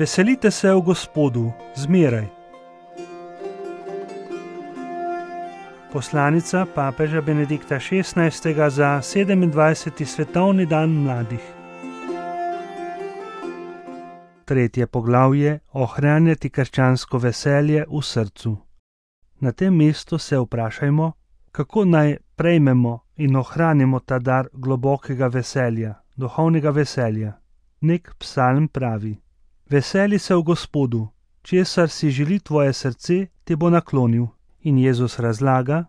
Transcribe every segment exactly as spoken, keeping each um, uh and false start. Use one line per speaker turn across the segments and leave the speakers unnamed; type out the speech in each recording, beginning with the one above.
Veselite se v Gospodu, zmeraj. Poslanica papeža Benedikta šestnajstega za sedemindvajseti svetovni dan mladih. Tretje poglavje: ohranjati krščansko veselje v srcu. Na tem mestu se vprašajmo, kako naj prejmemo in ohranimo ta dar globokega veselja, duhovnega veselja. Nek psalm pravi: veseli se v Gospodu, česar si želi tvoje srce, ti bo naklonil. In Jezus razlaga: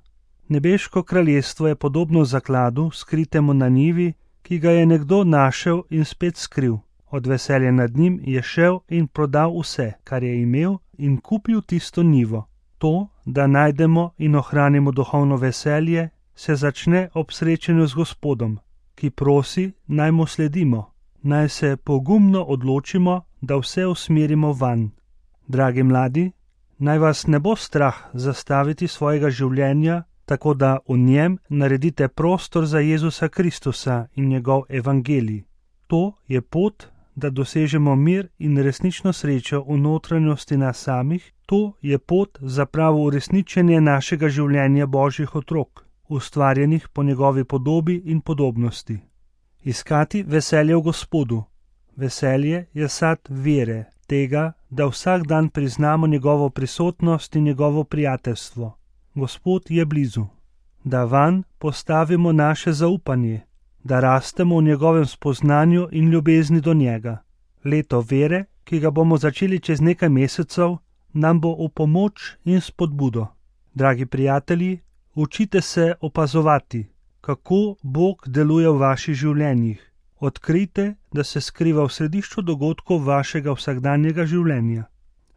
nebeško kraljestvo je podobno zakladu, skritemu na njivi, ki ga je nekdo našel in spet skril. Od veselja nad njim je šel in prodal vse, kar je imel, in kupil tisto njivo. To, da najdemo in ohranimo duhovno veselje, se začne ob srečanju z Gospodom, ki prosi, naj mu sledimo, naj se pogumno odločimo, da vse usmerimo vanj. Dragi mladi, naj vas ne bo strah zastaviti svojega življenja, tako da v njem naredite prostor za Jezusa Kristusa in njegov evangelij. To je pot, da dosežemo mir in resnično srečo v notranjosti nas samih. To je pot za pravo uresničenje našega življenja Božjih otrok, ustvarjenih po njegovi podobi in podobnosti. Iskati veselje v Gospodu. Veselje je sad vere, tega, da vsak dan priznamo njegovo prisotnost in njegovo prijateljstvo. Gospod je blizu. Da vanj postavimo naše zaupanje, da rastemo v njegovem spoznanju in ljubezni do njega. Leto vere, ki ga bomo začeli čez nekaj mesecev, nam bo v pomoč in spodbudo. Dragi prijatelji, učite se opazovati, kako Bog deluje v vaših življenjih. Odkrijte, da se skriva v središču dogodkov vašega vsakdanjega življenja.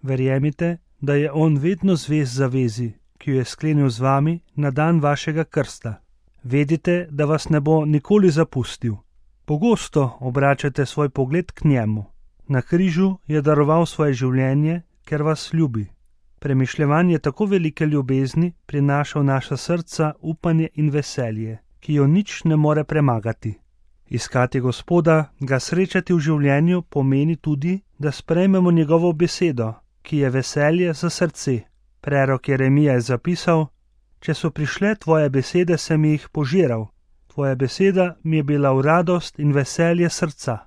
Verjemite, da je On vedno zvest zavezi, ki jo je sklenil z vami na dan vašega krsta. Vedite, da vas ne bo nikoli zapustil. Pogosto obračate svoj pogled k njemu. Na križu je daroval svoje življenje, ker vas ljubi. Premišljevanje tako velike ljubezni prinaša v naša srca upanje in veselje, ki jo nič ne more premagati. Iskati Gospoda, ga srečati v življenju, pomeni tudi, da sprejmemo njegovo besedo, ki je veselje za srce. Prerok Jeremija je zapisal: če so prišle tvoje besede, sem jih požiral. Tvoja beseda mi je bila v radost in veselje srca.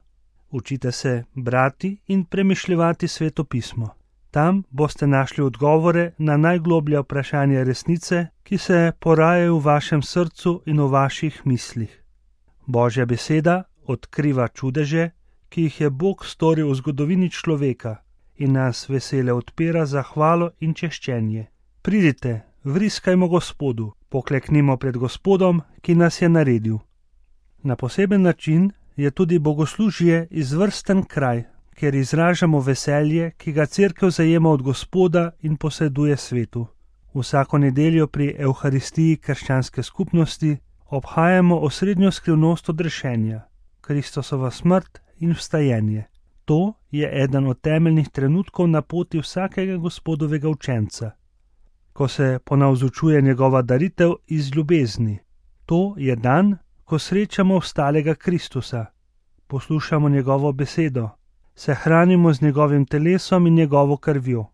Učite se brati in premišljevati Sveto pismo. Tam boste našli odgovore na najgloblja vprašanja resnice, ki se porajajo v vašem srcu in v vaših mislih. Božja beseda odkriva čudeže, ki jih je Bog storil v zgodovini človeka, in nas vesele odpira za hvalo in češčenje. Pridite, vriskajmo Gospodu, pokleknimo pred Gospodom, ki nas je naredil. Na poseben način je tudi bogoslužje izvrsten kraj, kjer izražamo veselje, ki ga Cerkev zajema od Gospoda in poseduje svetu. Vsako nedeljo pri Evharistiji krščanske skupnosti obhajamo osrednjo skrivnost odrešenja, Kristosovo smrt in vstajenje. To je eden od temeljnih trenutkov na poti vsakega Gospodovega učenca, ko se ponavzučuje njegova daritev iz ljubezni. To je dan, ko srečamo vstalega Kristusa, poslušamo njegovo besedo, se hranimo z njegovim telesom in njegovo krvjo.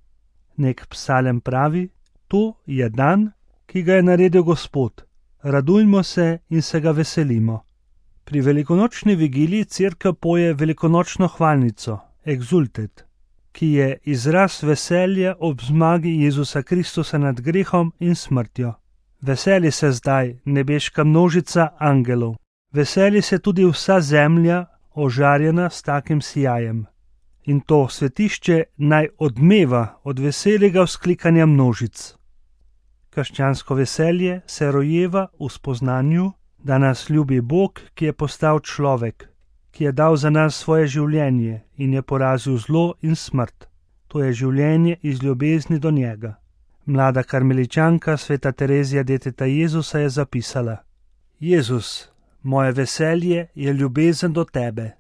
Nek psalem pravi: to je dan, ki ga je naredil Gospod. Radujmo se in se ga veselimo. Pri velikonočni vigiliji Cerkev poje velikonočno hvalnico, Exultet, ki je izraz veselja ob zmagi Jezusa Kristusa nad grehom in smrtjo. Veseli se zdaj nebeška množica angelov. Veseli se tudi vsa zemlja, ožarjena s takim sijajem. In to svetišče naj odmeva od veselega vzklikanja množic. Krščansko veselje se rojeva v spoznanju, da nas ljubi Bog, ki je postal človek, ki je dal za nas svoje življenje in je porazil zlo in smrt. To je življenje iz ljubezni do njega. Mlada karmeličanka sveta Terezija deteta Jezusa je zapisala: Jezus, moje veselje je ljubezen do tebe.